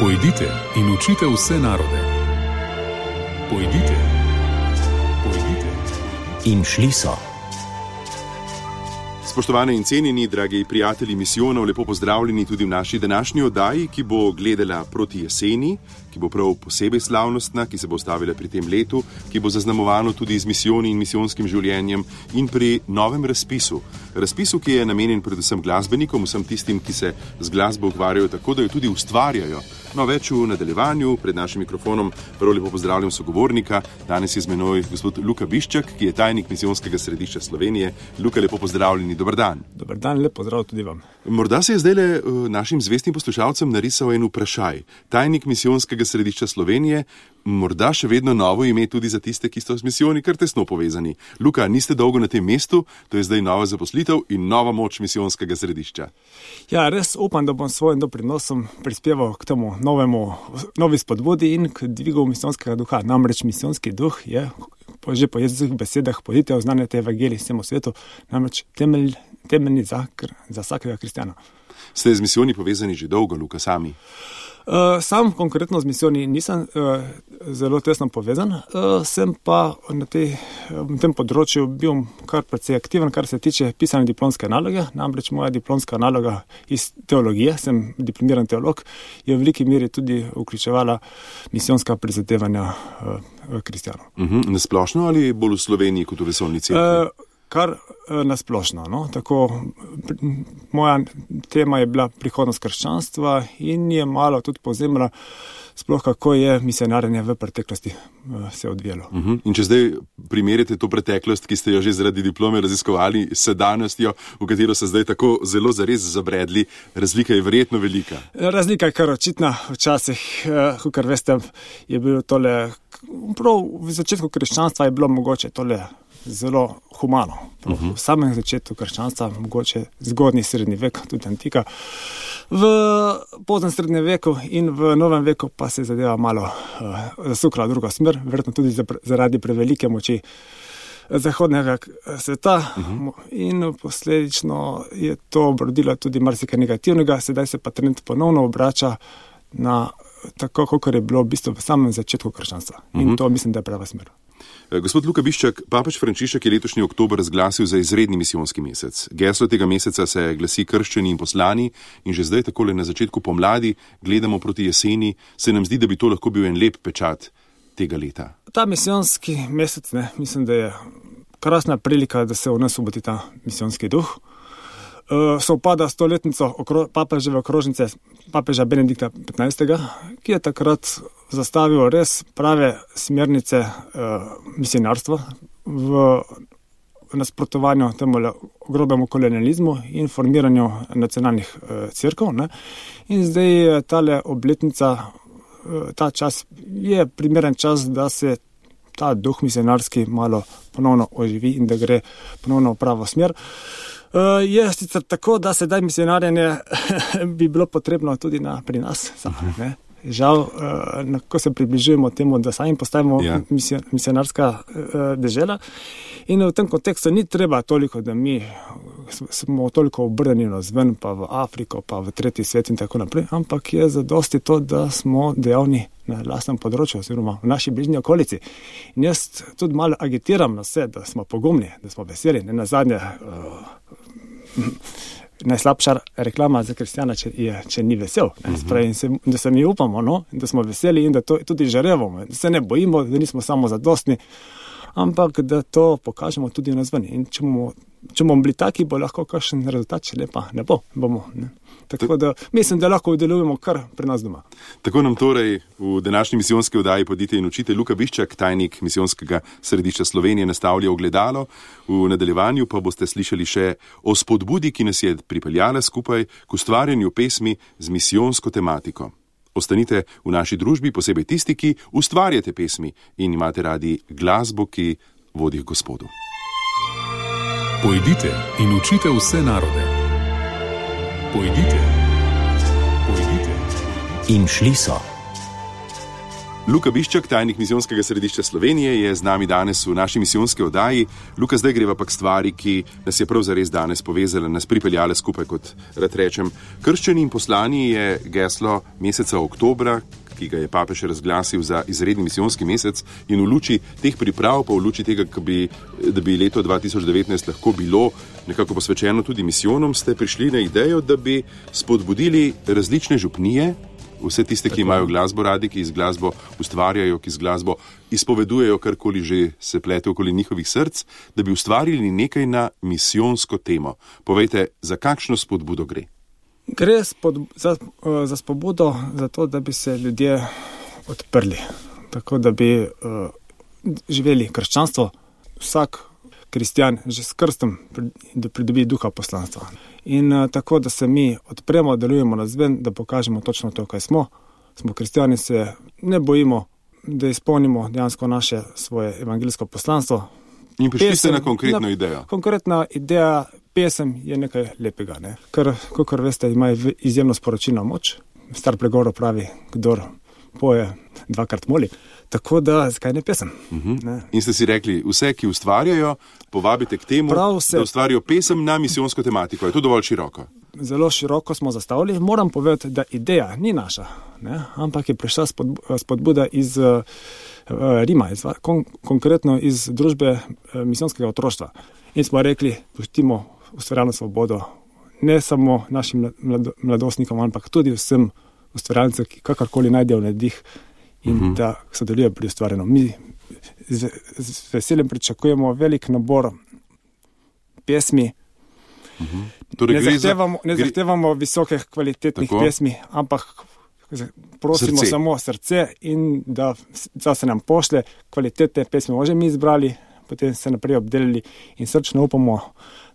Pojdite in učite vse narode. Pojdite. In šli so. Spoštovane in cenjeni, dragi prijatelji misijonov, lepo pozdravljeni tudi v naši današnji oddaji, ki bo gledala proti jeseni, ki bo prav posebej slavnostna, ki se bo ustavila pri tem letu, ki bo zaznamovano tudi z misijoni in misijonskim življenjem in pri novem razpisu. Razpisu, ki je namenjen predvsem glasbenikom, vsem tistim, ki se z glasbo ukvarjajo tako, da jo tudi ustvarjajo. No, več v nadaljevanju, pred našim mikrofonom prav lepo pozdravljam sogovornika. Danes je z menoj gospod Luka Biščak, ki je tajnik Misijonskega središča Slovenije. Luka, lepo pozdravljeni, dober dan. Dober dan, lep pozdrav tudi vam. Morda se je zdajle našim zvestim poslušalcem narisal en vprašaj. Tajnik Misijonskega središča Slovenije, morda še vedno novo ime tudi za tiste, ki so s misijoni kar tesno povezani. Luka, niste dolgo na tem mestu, to je zdaj nova zaposlitev in nova moč Misijonskega središča. Ja, res upam, da bom s svojim doprinosom prispeval k temu novi spodbudi in k dvigu misijonskega duha. Namreč misijonski duh je, že po Jezusovih besedah, pojdite, oznanjajte evangelij vsemu svetu, namreč temeljni za vsakega kristjana. Ste z misijoni povezani že dolgo, Luka, sami? Sam konkretno z misijoni nisem zelo tesno povezan, sem pa na tem področju bil kar precej aktiven, kar se tiče pisanja diplomske naloge. Namreč moja diplomska naloga iz teologije, sem diplomiran teolog, je v veliki meri tudi vključevala misijonska prizadevanja kristjanov. Nasplošno ali bolj v Sloveniji kot v vesoljni cerkvi? Kar nasplošno. No? Tako, moja tema je bila prihodnost krščanstva in je malo tudi povzemala sploh, kako je misionarjenje v preteklosti se odvijalo. In če zdaj primerjate to preteklost, ki ste jo že zaradi diplome raziskovali, s sedanjostjo, v katero se zdaj tako zelo zares zabredli, razlika je verjetno velika. Razlika je kar očitna. Včasih, kakor veste, je bilo tole, prav v začetku krščanstva je bilo mogoče tole zelo humano. V samem začetku krščanstva, mogoče zgodnji srednji vek, tudi antika. V poznem srednjem veku in v novem veku pa se zadeva malo zasukla druga smer, verjetno tudi zaradi prevelike moči zahodnega sveta in posledično je to obrodilo tudi marsikaj negativnega, sedaj se pa trend ponovno obrača na tako, kot je bilo v bistvu v samem začetku krščanstva. In to mislim, da je prava smer. Gospod Luka Biščak, papež Frančišek je letošnji oktober razglasil za izredni misijonski mesec. Geslo tega meseca se glasi krščeni in poslani in že zdaj takole na začetku pomladi gledamo proti jeseni, se nam zdi, da bi to lahko bil en lep pečat tega leta. Ta misijonski mesec, mislim, da je krasna prilika, da se v nas obudi ta misijonski duh. Sovpada stoletnico papeževe okrožnice, papeža Benedikta 15., ki je takrat zastavil res prave smernice misionarstva v nasprotovanju temu grobemu kolonializmu in formiranju nacionalnih cerkev. In zdaj tale obletnica, ta čas je primeren čas, da se ta duh misionarski malo ponovno oživi in da gre ponovno v pravo smer. Je sicer tako, da sedaj misionarjenje bi bilo potrebno tudi pri nas. Žal, ko se približujemo temu, da sami postajamo misionarska dežela in v tem kontekstu ni treba toliko, da mi smo toliko obrnjeni navzven, pa v Afriko, pa v tretji svet in tako naprej, ampak je zadosti to, da smo dejavni na lastnem področju oziroma v naši bližnji okolici. In jaz tudi malo agitiram na vse, da smo pogumni, da smo veseli. Nenazadnje najslabša reklama za kristjana, če ni vesel. Da se mi upamo, da smo veseli in da to tudi žarevamo, da se ne bojimo, da nismo samo zadostni, ampak da to pokažemo tudi v nazveni. In če bomo bili taki, bo lahko kakšen rezultat, če lepa ne bo. Tako da mislim, da lahko delujemo kar pri nas doma. Tako nam torej v današnji misijonski oddaji Pojdite in učite Luka Biščak, tajnik Misijonskega središča Slovenije, nastavlja ogledalo. V nadaljevanju pa boste slišali še o spodbudi, ki nas je pripeljala skupaj k ustvarjanju pesmi z misijonsko tematiko. Ostanite v naši družbi, posebej tisti, ki ustvarjate pesmi in imate radi glasbo, ki vodi k Gospodu. Pojdite in učite vse narode. Pojdite. In šli so. Luka Biščak, tajnik Misijonskega središča Slovenije, je z nami danes v naši misijonski oddaji. Luka, zdaj greva pa k stvari, ki nas je prav zares danes povezala, nas pripeljala skupaj, kot rad rečem. Krščeni in poslani je geslo meseca oktobra, ki ga je papež razglasil za izredni misijonski mesec, in v luči teh priprav, pa v luči tega, da bi leto 2019 lahko bilo nekako posvečeno tudi misijonom, ste prišli na idejo, da bi spodbudili različne župnije, vse tiste, ki imajo glasbo radi, ki z glasbo ustvarjajo, ki z glasbo izpovedujejo, karkoli že se plete okoli njihovih src, da bi ustvarili nekaj na misijonsko temo. Povejte, za kakšno spodbudo gre? Gre za spodbudo za to, da bi se ljudje odprli, tako da bi živeli krščanstvo, vsak kristjan že s krstom, da pridobi duha poslanstva. In tako, da se mi odpremo, delujemo navzven, da pokažemo točno to, kaj smo. Smo kristjani, se ne bojimo, da izpolnimo dejansko naše svoje evangeljsko poslanstvo. In prišli ste na konkretno idejo. Konkretna ideja, pesem je nekaj lepega, ne? Ker, kakor veste, ima izjemno sporočilno moč. Star pregovor pravi, kdor poje, dvakrat moli. Tako da, zakaj ne pesem? Ne? In ste si rekli, vse, ki ustvarjajo, povabite k temu, da ustvarijo pesem na misijonsko tematiko. Je to dovolj široko? Zelo široko smo zastavili. Moram povedati, da ideja ni naša, ne? Ampak je prišla spodbuda iz Rima, konkretno iz družbe misijonskega otroštva. In smo rekli, pustimo ustvarjalno svobodo ne samo našim mladostnikom, ampak tudi vsem ustvarjalcem, ki kakorkoli najdejo navdih in da sodelujejo pri ustvarjanju. Mi z veseljem pričakujemo velik nabor pesmi. Torej, ne zahtevamo visokih kvalitetnih pesmi, ampak prosimo samo srce in da se nam pošle kvalitetne pesmi. Možemo mi izbrali, potem se naprej obdelili in srčno upamo,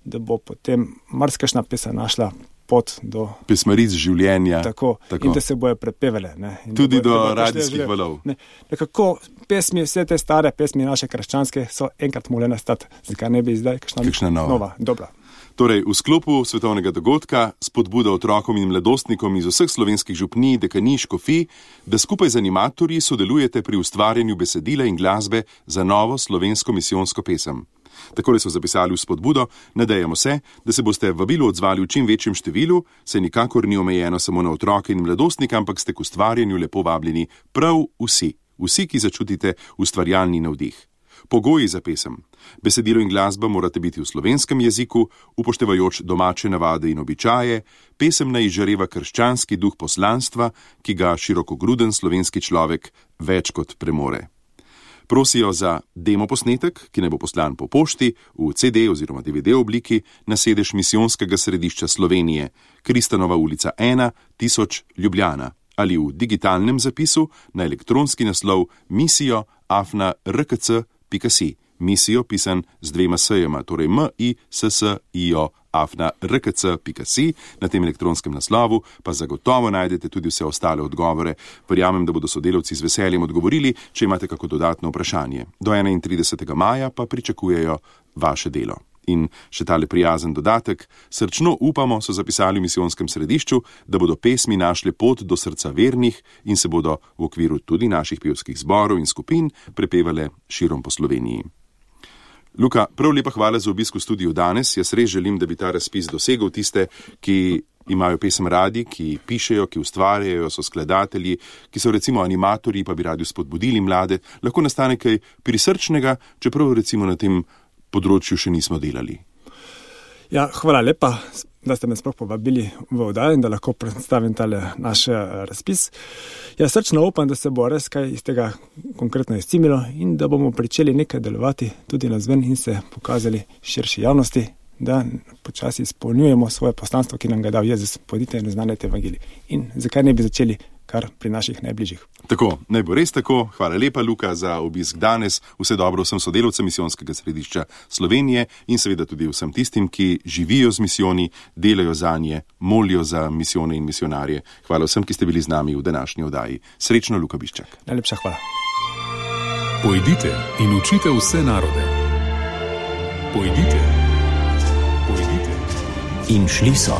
da bo potem marsikajšna pesem našla pot do pesmaric življenja. Tako. In da se bojo prepevale. Tudi do radijskih valov. Nekako pesmi, vse te stare pesmi naše krščanske so enkrat morale nastati. Zakaj ne bi zdaj kakšna nova? Dobra. Torej, v sklopu svetovnega dogodka spodbuda otrokom in mladostnikom iz vseh slovenskih župnij, dekanij, škofij, da skupaj z animatorji sodelujete pri ustvarjanju besedila in glasbe za novo slovensko misijonsko pesem. Takole so zapisali v spodbudo, nadejamo se, da se boste vabilu odzvali v čim večjem številu, saj nikakor ni omejeno samo na otroke in mladostnike, ampak ste k ustvarjanju lepo vabljeni prav vsi, ki začutite ustvarjalni navdih. Pogoji za pesem. Besedilo in glasba morate biti v slovenskem jeziku, upoštevajoč domače navade in običaje, pesem naj izžareva krščanski duh poslanstva, ki ga širokogruden slovenski človek več kot premore. Prosijo za demo posnetek, ki naj bo poslan po pošti v CD oziroma DVD obliki na sedež Misijonskega središča Slovenije, Kristanova ulica 1, 1000 Ljubljana, ali v digitalnem zapisu na elektronski naslov misijo@rkc.si. Misijo pisan z 2 s-jema, torej misijo@rkc.si. Na tem elektronskem naslovu pa zagotovo najdete tudi vse ostale odgovore. Verjamem, da bodo sodelavci z veseljem odgovorili, če imate kako dodatno vprašanje. Do 31. maja pa pričakujejo vaše delo. In še tale prijazen dodatek, srčno upamo, so zapisali v misijonskem središču, da bodo pesmi našle pot do srca vernih in se bodo v okviru tudi naših pevskih zborov in skupin prepevale širom po Sloveniji. Luka, prav lepa hvala za obisk v studiu danes. Jaz res želim, da bi ta razpis dosegel tiste, ki imajo pesem radi, ki pišejo, ki ustvarjajo, so skladatelji, ki so recimo animatorji, pa bi radi spodbudili mlade. Lahko nastane kaj prisrčnega, čeprav recimo na tem področju še nismo delali. Ja, hvala lepa, da ste me sploh povabili v oddajo in da lahko predstavim tale naš razpis. Ja, srčno upam, da se bo res kaj iz tega konkretno izcimilo in da bomo pričeli nekaj delovati tudi nazven in se pokazali širši javnosti, da počasi izpolnjujemo svoje poslanstvo, ki nam ga dal Jezus, pojdite in oznanjajte evangelij. In zakaj ne bi začeli kar pri naših najbližjih. Tako, naj bo res tako. Hvala lepa, Luka, za obisk danes. Vse dobro vsem sodelavcem Misijonskega središča Slovenije in seveda tudi vsem tistim, ki živijo z misijoni, delajo zanje, molijo za misijone in misionarje. Hvala vsem, ki ste bili z nami v današnji oddaji. Srečno, Luka Biščak. Najlepša hvala. Pojdite in učite vse narode. Pojdite. In šli so.